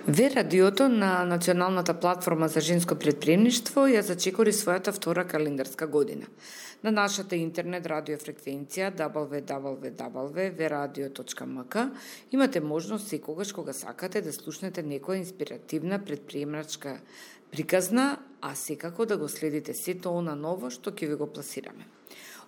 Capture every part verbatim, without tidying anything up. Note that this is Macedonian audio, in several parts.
Ве радиото на Националната платформа за женско претприемништво ја зачекори својата втора календарска година. На нашата интернет радиофреквенција дабл ю дабл ю дабл ю точка ве радио точка ем ка имате можност секогаш кога сакате да слушнете некоја инспиративна претприемачка приказна, а секако да го следите сето она ново што ќе ви го пласираме.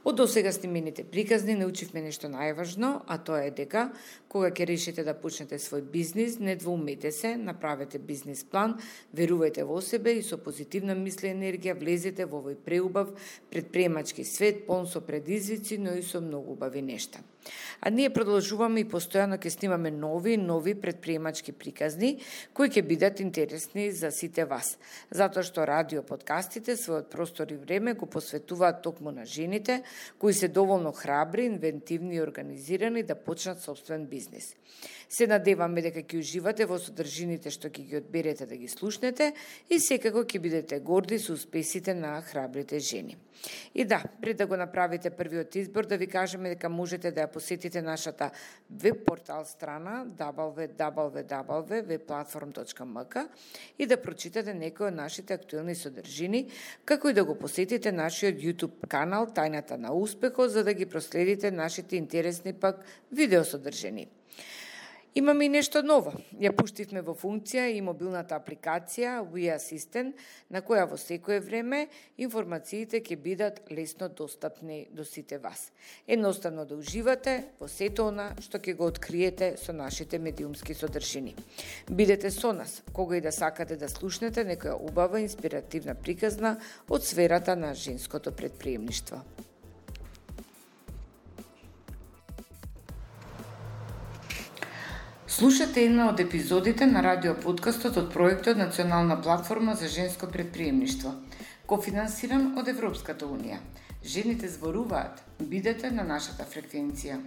Од досега снимените приказни научивме нешто најважно, а тоа е дека кога ќе решите да почнете свој бизнис, не двоумете се, направете бизнис план, верувајте во себе и со позитивна мисла и енергија влезете во овој преубав претприемачки свет, полн со предизвици, но и со многу убави нешта. А ние продолжуваме и постојано ќе снимаме нови нови претприемачки приказни кои ќе бидат интересни за сите вас, затоа што радио подкастите својот простор и време го посветуваат токму на жените кои се доволно храбри, инвентивни и организирани да почнат собствен бизнис. Се надеваме дека ќе уживате во содржините што ќе ги одберете да ги слушнете и секако ќе бидете горди со успесите на храбрите жени. И да, пред да го направите првиот избор, да ви кажеме дека можете да ја посетите нашата веб портал страна дабл ю дабл ю дабл ю точка ве платформ точка ем ка и да прочитате некои од нашите актуелни содржини, како и да го посетите нашиот YouTube канал Тајната на успехот, за да ги проследите нашите интересни пак видеосодржини. Имаме и нешто ново. Ја пуштивме во функција и мобилната апликација We Assistant, на која во секое време информациите ќе бидат лесно достапни до сите вас. Едноставно да уживате во сето она што ќе го откриете со нашите медиумски содржини. Бидете со нас, кога и да сакате да слушнете некоја убава инспиративна приказна од сферата на женското претприемништво. Слушате една од епизодите на радиоподкастот од проектот Национална платформа за женско претприемништво, кофинансиран од Европската унија. Жените зборуваат. Бидете на нашата фреквенција.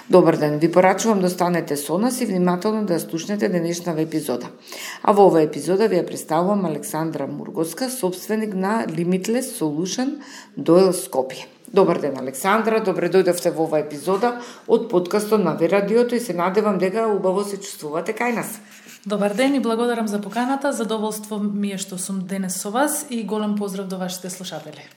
Добар ден, ви порачувам да останете со нас и внимателно да слушнете денешната епизода. А во оваа епизода ви ја представувам Александра Мургоска, собственик на Limitless Solution Дойл Скопје. Добар ден, Александра, добре дојдовте во оваа епизода од подкастот на Ве радиото и се надевам дека убаво се чувствувате кај нас. Добар ден и благодарам за поканата, задоволство ми е што сум денес со вас и голем поздрав до вашите слушатели.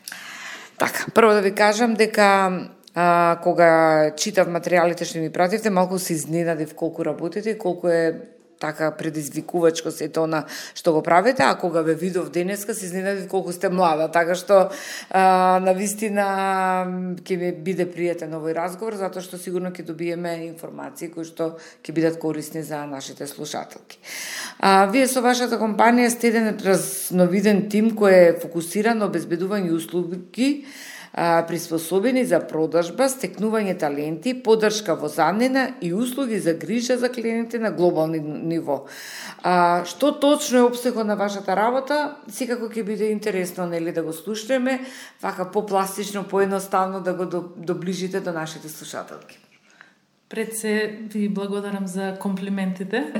Така, прво да ви кажам дека а, кога читав материјалите што ми пративте, малку се изненадив колку работите и колку е така предизвикувачко сето она што го правите, а кога ве видов денеска се изненадив колку сте млада, така што а, навистина ќе ми биде пријатен овој разговор, затоа што сигурно ќе добиеме информации кои што ќе бидат корисни за нашите слушателки. А, вие со вашата компанија сте еден разновиден тим кој е фокусиран на обезбедување услуги приспособени за продажба, стекнување таленти, поддршка во заднина и услуги за грижа за клиенти на глобални ниво. А, што точно е опсегот на вашата работа? Секако ќе биде интересно нели да го слушнеме, вака попластично, поедноставно да го доближите до нашите слушателки. Пред се ви благодарам за комплиментите.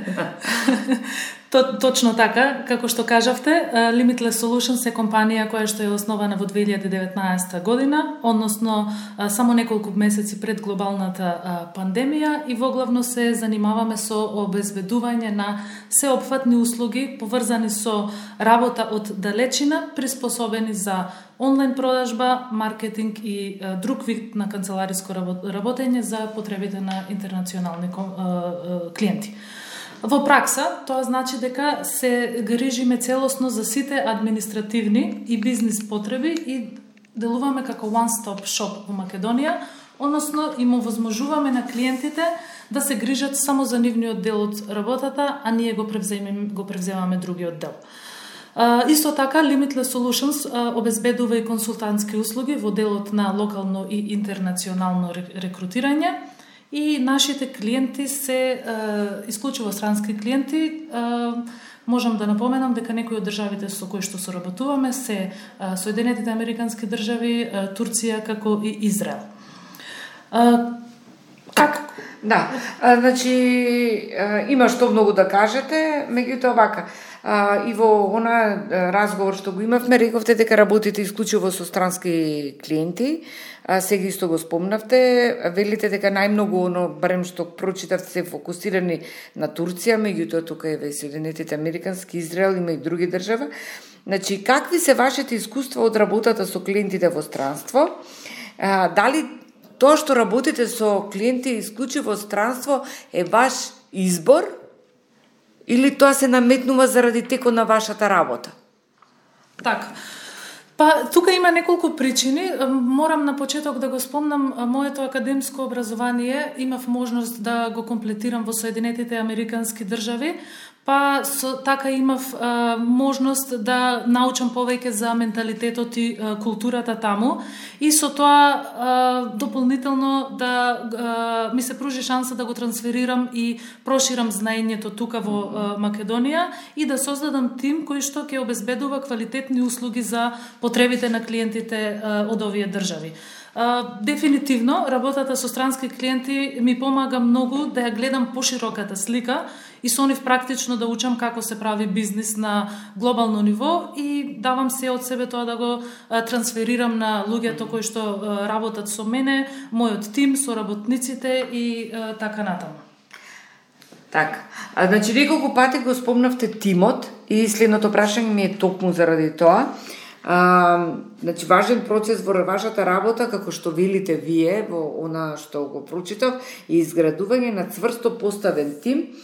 Точно така, како што кажавте, Limitless Solutions е компанија која што е основана во две илјади и деветнаесета година, односно само неколку месеци пред глобалната пандемија и воглавно се занимаваме со обезбедување на сеопфатни услуги поврзани со работа од далечина, приспособени за онлайн продажба, маркетинг и друг вид на канцелариско работење за потребите на интернационални клиенти. Во пракса, тоа значи дека се грижиме целосно за сите административни и бизнис потреби и делуваме како one-stop shop во Македонија, односно им овозможуваме на клиентите да се грижат само за нивниот дел од работата, а ние го превземаме, го превземаме другиот дел. Uh, исто така, Limitless Solutions uh, обезбедува и консултантски услуги во делот на локално и интернационално рекрутирање и нашите клиенти се uh, исклучиво странски клиенти. Uh, можам да напоменам дека некои од државите со кои што соработуваме се uh, Соединетите Американски држави, uh, Турција како и Израел. Uh, как? Да, а, значи а, има што многу да кажете, меѓутоа вака. А, и во она разговор што го имавме, рековте дека работите исклучиво со странски клиенти. А, сега исто го спомнавте, велите дека најмногу оно, барем што прочитав, се фокусирани на Турција, меѓутоа тука е Соединетите Американски, Израел, има и други држави. Значи, какви се вашите искуства од работата со клиентите во странство? А, дали тоа што работите со клиенти исклучиво странство е ваш избор или тоа се наметнува заради текот на вашата работа? Така. Па, тука има неколку причини. Морам на почеток да го спомнам, моето академско образование имав можност да го комплетирам во Соединетите Американски држави, па со, така имав а, можност да научам повеќе за менталитетот и а, културата таму, и со тоа а, дополнително да а, ми се пружи шанса да го трансферирам и проширам знаењето тука во а, Македонија и да создадам тим кој што ќе обезбедува квалитетни услуги за потребите на клиентите а, од овие држави. Uh, дефинитивно, работата со странски клиенти ми помага многу да ја гледам пошироката слика и со нив практично да учам како се прави бизнис на глобално ниво и давам се од себе тоа да го uh, трансферирам на луѓето кои што uh, работат со мене, мојот тим, со работниците и uh, така натаму. Така. А, значи, неколку пати го спомнавте тимот и следното прашање ми е токму заради тоа. А, значи, важен процес во вашата работа, како што велите вие, во она што го прочитав, е изградување на цврсто поставен тим.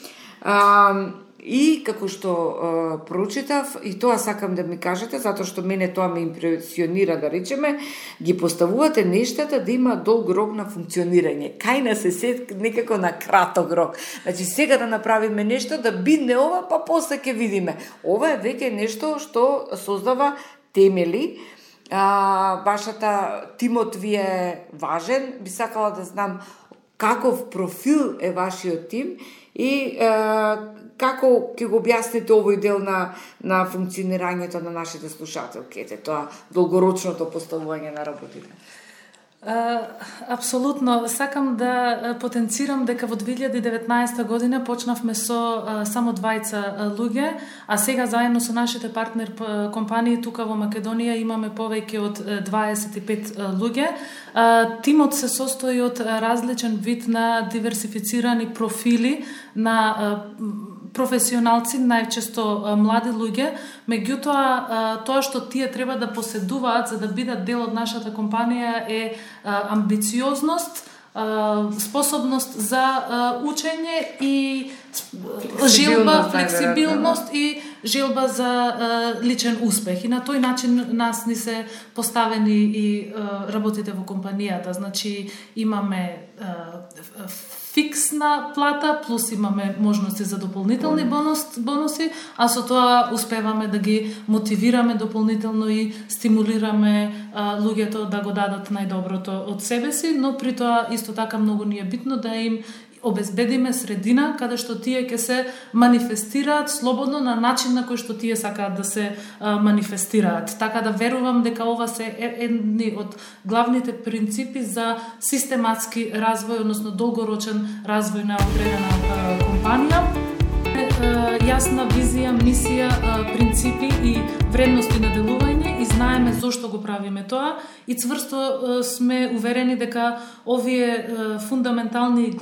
А, и како што а, прочитав, и тоа сакам да ми кажете, затоа што мене тоа ме импресионира, да речеме, ги поставувате нештата да има долг рок на функционирање. Кај на се сет некако на краток рок. Значи, сега да направиме нешто, да бидне ова, па после ќе видиме. Ова е веќе нешто што создава темели. А, вашата тимот ви е важен. Би сакала да знам каков профил е вашиот тим и а, како ќе го објасните овој дел на, на функционирањето на нашите слушателки, тоа долгорочното поставување на работите. Uh, апсолутно. Сакам да потенцирам дека во две илјади и деветнаесета година почнавме со uh, само двајца uh, луѓе, а сега заедно со нашите партнер компании тука во Македонија имаме повеќе од дваесет и пет uh, луѓе. Uh, тимот се состои од uh, различен вид на диверсифицирани профили на uh, професионалци, најчесто млади луѓе, меѓутоа тоа што тие треба да поседуваат за да бидат дел од нашата компанија е амбициозност, способност за учење и желба, флексибилност и желба за личен успех. И на тој начин нас ни се поставени и работите во компанијата. Значи имаме фиксна плата, плюс имаме можности за дополнителни бонус, бонуси, а со тоа успеваме да ги мотивираме дополнително и стимулираме а, луѓето да го дадат најдоброто од себе си, но при тоа исто така многу ни е битно да им обезбедиме средина каде што тие ќе се манифестираат слободно на начин на кој што тие сакаат да се а, манифестираат. Така да верувам дека ова се едни од главните принципи за систематски развој, односно долгорочен развој на одредена а, компанија. Јасна визија, мисија, принципи и вредности на делување и знаеме зошто го правиме тоа и цврсто сме уверени дека овие фундаментални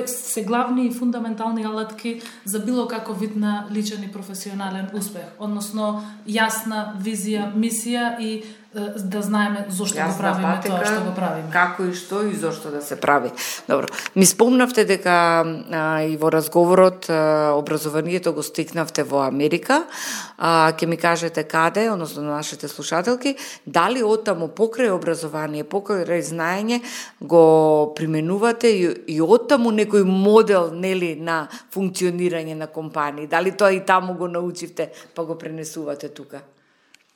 се главни и фундаментални алатки за било каков вид на личен и професионален успех, односно јасна визија, мисија и да знаеме зошто го правиме патека, тоа што го правиме. Како и што и зошто да се прави. Добро. Ми спомнавте дека а, и во разговорот а, образованието го стикнавте во Америка. А, ќе ми кажете каде, односно на нашите слушателки, дали оттаму покрај образование, покрај знаење го применувате и, и оттаму некој модел, нели, на функционирање на компании. Дали тоа и таму го научивте, па го пренесувате тука?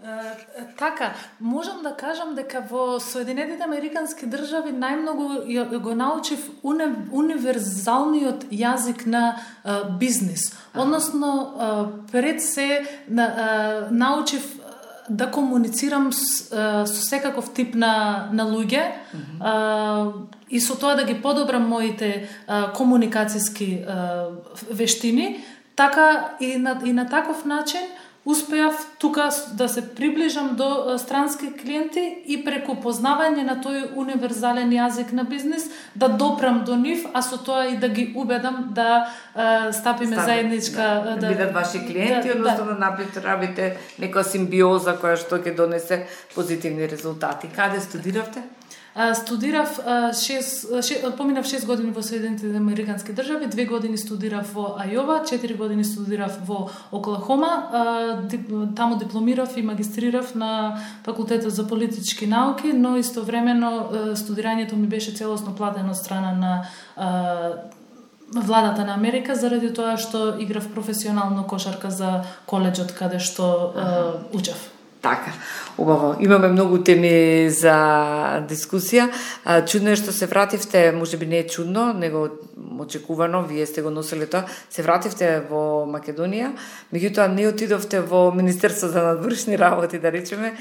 Uh, така, можам да кажам дека во Соединетите Американски држави најмногу го научив уни, универзалниот јазик на uh, бизнис. Односно, uh, пред се uh, научив да комуницирам с, uh, со секаков тип на, на луѓе mm-hmm. uh, и со тоа да ги подобрам моите uh, комуникацијски uh, вештини. така и на, и на таков начин успеав тука да се приближам до странски клиенти и преку познавање на тој универзален јазик на бизнис да допрам до нив, а со тоа и да ги убедам да uh, стапиме Стави, заедничка... Да, да бидат ваши клиенти, да, односно да, да направите некоја симбиоза која што ќе донесе позитивни резултати. Каде студиравте? Студирав шест, шест, поминав шест години во Соединетите Американски држави, две години студирав во Ајова, четири години студирав во Оклахома, таму дипломирав и магистрирав на факултетот за политички науки, но истовремено студирањето ми беше целосно платено од страна на владата на Америка заради тоа што играв професионално кошарка за коледжот каде што uh, учев. Така, убаво. Имаме многу теми за дискусија. Чудно е што се вративте, можеби не е чудно, него очекувано, вие сте го носили тоа, се вративте во Македонија, меѓутоа не отидовте во Министерство за надворешни работи, да речеме,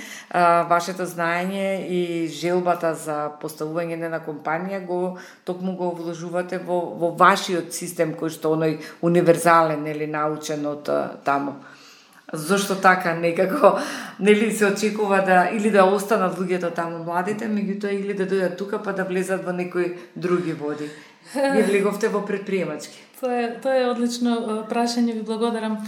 вашето знаење и желбата за поставување на компанија го токму го вложувате во, во вашиот систем кој што оној универзален или научен од таму. Зошто така некако нели се очекува да или да останат луѓето таму младите, меѓутоа или да дојдат тука па да влезат во некои други води. Вие влеговте во предприемачки. Тоа е, тоа е одлично прашање, ви благодарам.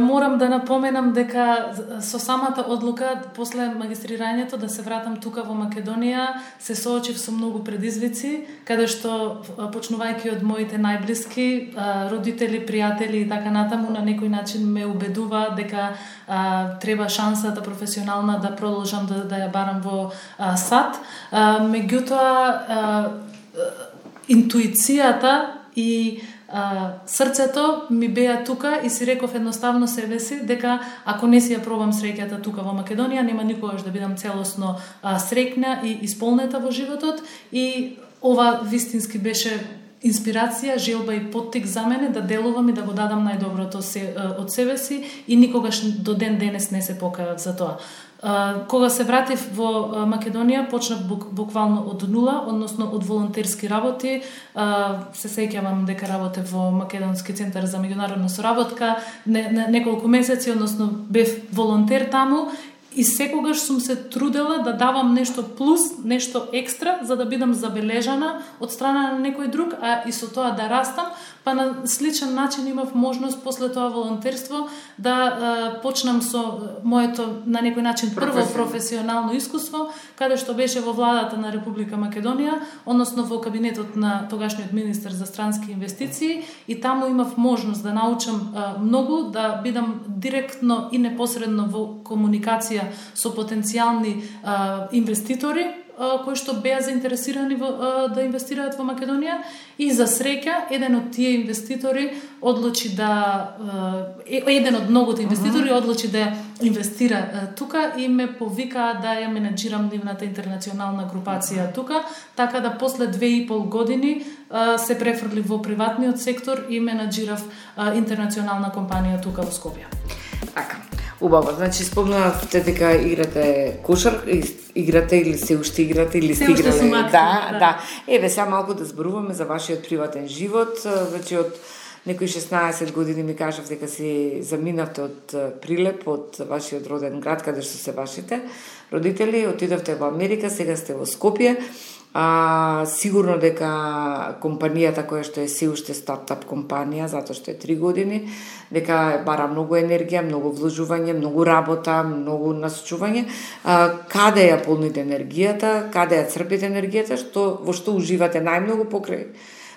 Морам да напоменам дека со самата одлука после магистрирањето да се вратам тука во Македонија се соочив со многу предизвици, каде што почнувајќи од моите најблиски, родители, пријатели и така натаму на некој начин ме убедува дека а, треба шансата професионална да продолжам да, да ја барам во а, САД. А, меѓутоа а, интуицијата и а, срцето ми беа тука и си реков едноставно себе си дека ако не си ја пробам среќата тука во Македонија, нема никогаш да бидам целосно а, среќна и исполнета во животот и ова вистински беше инспирација, желба и поттик за мене да делувам и да го дадам најдоброто се, од себе си и никогаш до ден денес не се покајав за тоа. Uh, кога се вратив во uh, Македонија, почнав бук, буквално од нула, односно од волонтерски работи. Uh, се сеќавам дека работев во Македонски центар за меѓународна соработка не, не, неколку месеци, односно бев волонтер таму и секогаш сум се трудела да давам нешто плюс, нешто екстра, за да бидам забележана од страна на некој друг, а и со тоа да растам, па на сличен начин имав можност после тоа волонтерство да а, почнам со моето на некој начин прво професионално искуство, каде што беше во владата на Република Македонија, односно во кабинетот на тогашниот министер за странски инвестиции и таму имав можност да научам а, многу, да бидам директно и непосредно во комуникација со потенцијални а, инвеститори кои што беа заинтересирани во, а, да инвестираат во Македонија и за среќа еден од тие инвеститори одлучи да а, еден од многуто инвеститори uh-huh. одлучи да инвестира а, тука и ме повикаа да ја менаџирам нивната интернационална групација тука, така да после две и пол години а, се префрлив во приватниот сектор и менаџирав а, интернационална компанија тука во Скопје. Така. Убаво, значи спомнавте дека играте кошар, играте или се уште играте или сте играле. Да, да, да. Еве сега малку да зборуваме за вашиот приватен живот. Веќе од некои шеснаесет години ми кажав дека си заминавте од Прилеп, од вашиот роден град каде што се вашите родители, отидовте во Америка, сега сте во Скопје. А, сигурно дека компанијата која што е се уште стартап компанија, затоа што е три години, дека бара многу енергија, многу вложување, многу работа, многу насочување. А, каде ја полните енергијата, каде ја црпите енергијата, што во што уживате најмногу покрај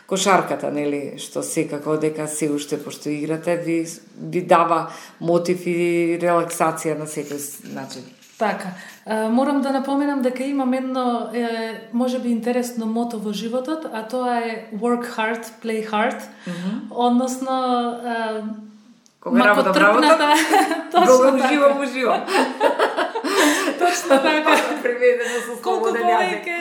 кошарката, нели, што секако дека се уште пошто играте ви ви дава мотив и релаксација на секој начин. Така, морам да напоменам дека имам едно, е, можеби интересно мото во животот, а тоа е work hard, play hard, mm-hmm. односно е, кога работа работа, кога уживам, уживам. Точно така. Преведено со колку повеќе,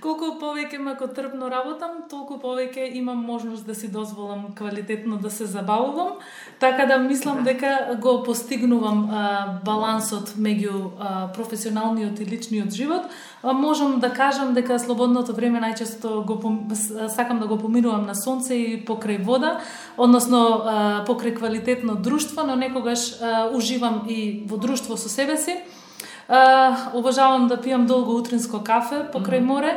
колку повеќе макотрпно работам, толку повеќе имам можност да си дозволам квалитетно да се забавувам, така да мислам да. дека го постигнувам а, балансот меѓу а, професионалниот и личниот живот. А, можам да кажам дека слободното време најчесто го сакам да го поминувам на сонце и покрај вода, односно а, покрај квалитетно друштво, но некогаш а, уживам и во друштво со себе си. Uh, обожавам да пијам долго утринско кафе покрај море.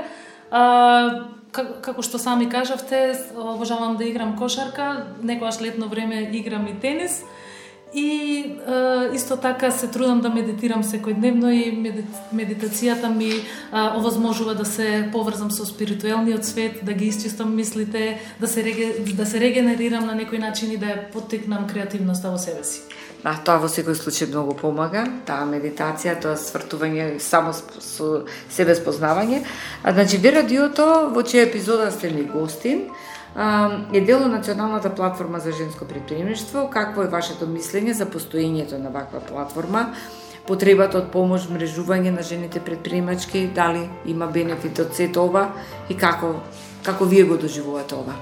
Uh, како што сами кажавте, обожавам да играм кошарка, некојаш летно време играм и тенис. И uh, исто така се трудам да медитирам секојдневно и медитацијата ми uh, овозможува да се поврзам со спиритуелниот свет, да ги исчистам мислите, да се, реге, да се регенерирам на некој начин и да ја поттикнам креативноста во себе си. Да, тоа во секој случај многу помага, таа медитација, тоа свртување само со себе спознавање. А значи ви радиото, во чија епизода сте ни гостин, е дел од Националната платформа за женско претприемништво. Какво е вашето мислење за постоењето на ваква платформа? Потребата од помош, мрежување на жените предприемачки, дали има бенефит од сето ова и како како вие го доживувате ова?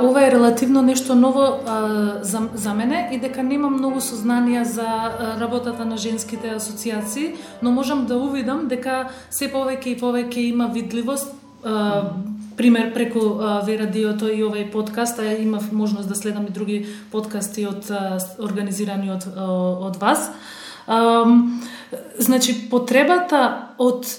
Ова е релативно нешто ново а, за, за мене и дека немам многу сознанија за а, работата на женските асоциации, но можам да увидам дека се повеќе и повеќе има видливост. А, пример преку ве радиото и овај подкаст, а имав можност да следам и други подкасти од а, организирани од од вас. А, значи потребата од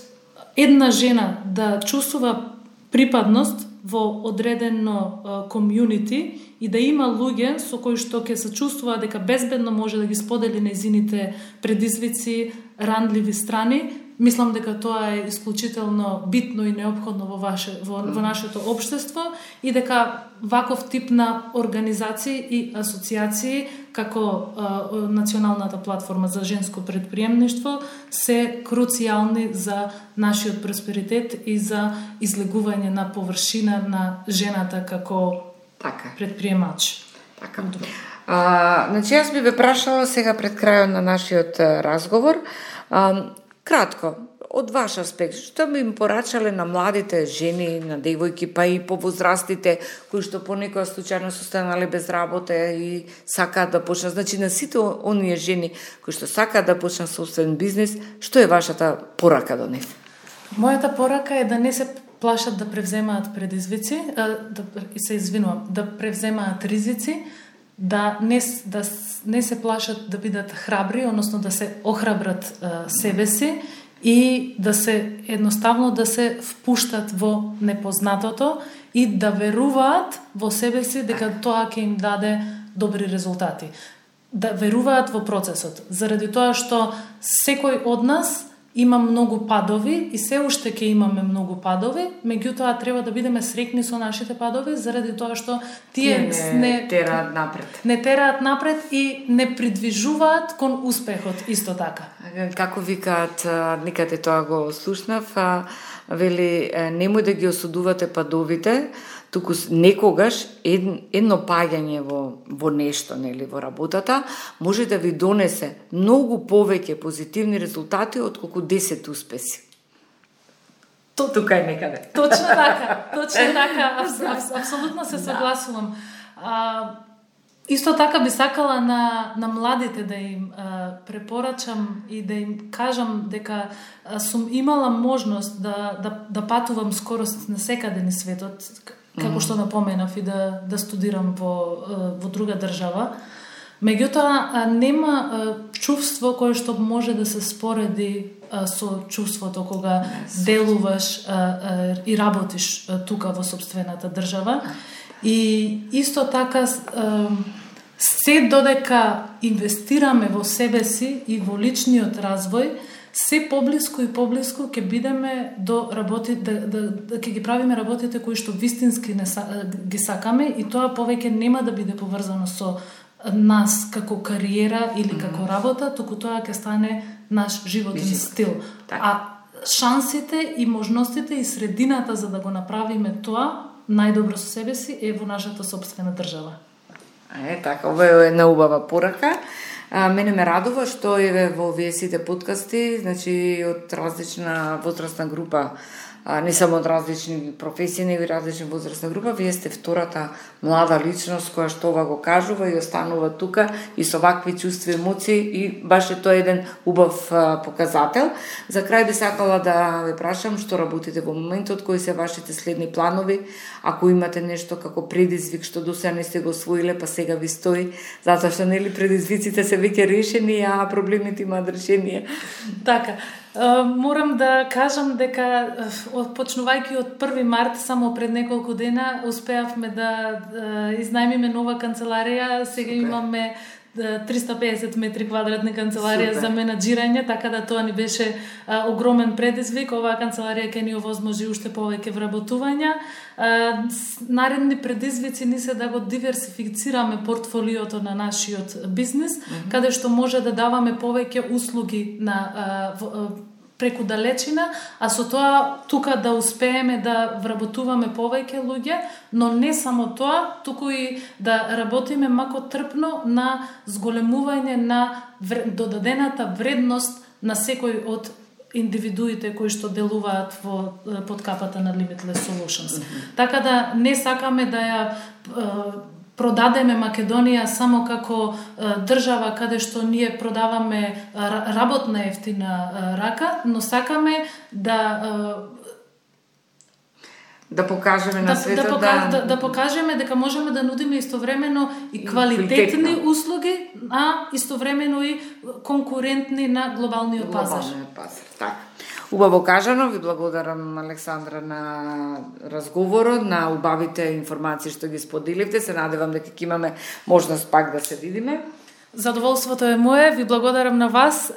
една жена да чувствува припадност во одредено комјунити и да има луѓе со кои што ќе се чувствува дека безбедно може да ги сподели нејзините предизвици, ранливи страни, мислам дека тоа е исклучително битно и неопходно во ваше во, во нашето општество и дека ваков тип на организации и асоциации како а, Националната платформа за женско предприемништво се круцијални за нашиот просперитет и за излегување на површина на жената како така предприемач. Така. А, значи јас би ве прашала сега пред крајот на нашиот разговор, а, кратко, од ваш аспект, што би им порачале на младите жени, на девојки, па и повозрастите, кои што понекогаш случајно се останале без работа и сакаат да почнат, значи на сите оние жени кои што сакаат да почнат собствен бизнес, што е вашата порака до нив? Мојата порака е да не се плашат да превземаат предизвици, да се извинувам, да превземаат ризици, да не да не се плашат да бидат храбри, односно да се охрабрат а, себе си и да се едноставно да се впуштат во непознатото и да веруваат во себе си дека тоа ќе им даде добри резултати. Да веруваат во процесот, заради тоа што секој од нас има многу падови и се уште ќе имаме многу падови, меѓутоа треба да бидеме среќни со нашите падови заради тоа што тие не, не тераат напред. Не тераат напред и не придвижуваат кон успехот исто така. Како викаат, никаде тоа го слушнав, вели немој да ги осудувате падовите, туку некогаш едно паѓање во во нешто, нели, во работата, може да ви донесе многу повеќе позитивни резултати отколку десет успеси. То тука е некаде. Точно така, точно така, абс, абс, апсолутно се согласувам. А, исто така би сакала на на младите да им а, препорачам и да им кажам дека а, сум имала можност да да да патувам скоро на секаде низ светот, како што напоменав и да да студирам во во друга држава. Меѓутоа нема чувство кое што може да се спореди со чувството кога делуваш и работиш тука во сопствената држава. И исто така се додека инвестираме во себе си и во личниот развој, се поблиску и поблиску ќе бидеме до работи да да, да ќе ги правиме работите кои што вистински не са, ги сакаме и тоа повеќе нема да биде поврзано со нас како кариера или како работа, туку тоа ќе стане наш животен стил. Так. А шансите и можностите и средината за да го направиме тоа најдобро со себе си е во нашата сопствена држава. Е, така, ова е една убава порака. А, мене ме радува што е во овие сите подкасти, значи од различна возрастна група, а, не само од различни професии, него и различни возрастна група, вие сте втората млада личност која што ова го кажува и останува тука и со вакви чувства и емоции, и баш е тоа еден убав а, показател. За крај би сакала да ве прашам што работите во моментот, кои се вашите следни планови, ако имате нешто како предизвик што до сега не сте го освоиле, па сега ви стои, затоа што нели предизвиците се веќе решени, а проблемите имаат решение. Така. Морам да кажам дека почнувајќи од први март, само пред неколку дена, успеавме да изнајмиме нова канцеларија. Сега Супер. Имаме триста и песет метри квадратни канцеларија Супер. За менаџирање, така да тоа ни беше а, огромен предизвик. Оваа канцеларија ќе ни овозможи уште повеќе вработувања. А, наредни предизвици ни се да го диверсифицираме портфолиото на нашиот бизнис, mm-hmm. каде што може да даваме повеќе услуги на а, в, а, преку далечина, а со тоа тука да успееме да вработуваме повеќе луѓе, но не само тоа, туку и да работиме мако трпно на зголемување на додадената вредност на секој од индивидуите кои што делуваат во под капата на Limitless Solutions. Mm-hmm. Така да не сакаме да ја продадеме Македонија само како е, држава каде што ние продаваме работна ефтина рака, но сакаме да да покажеме на да, светот да, да... да да покажеме дека можеме да нудиме истовремено и квалитетни услуги, а истовремено и конкурентни на глобалниот пазар. Глобалниот пазар, така. Убаво кажано, ви благодарам, Александра, на разговорот, на убавите информации што ги споделивте. Се надевам дека ќе имаме можност пак да се видиме. Задоволството е мое, ви благодарам на вас.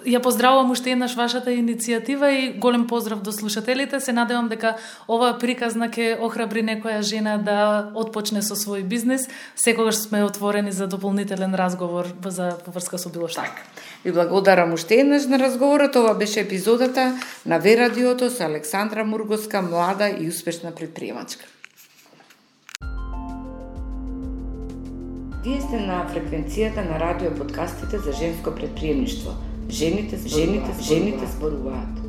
Ја поздравувам уште еднаш вашата иницијатива и голем поздрав до слушателите. Се надевам дека оваа приказна ќе охрабри некоја жена да отпочне со свој бизнис. Секогаш сме отворени за дополнителен разговор за поврска со било што. Так. Ви благодарам уште еднаш на разговорот. Ова беше епизодата на Ве Радиото со Александра Мургоска, млада и успешна предприемачка. Вие сте на фреквенцијата на радио подкастите за женско предприемништво. Жените, жените, жените зборуваат.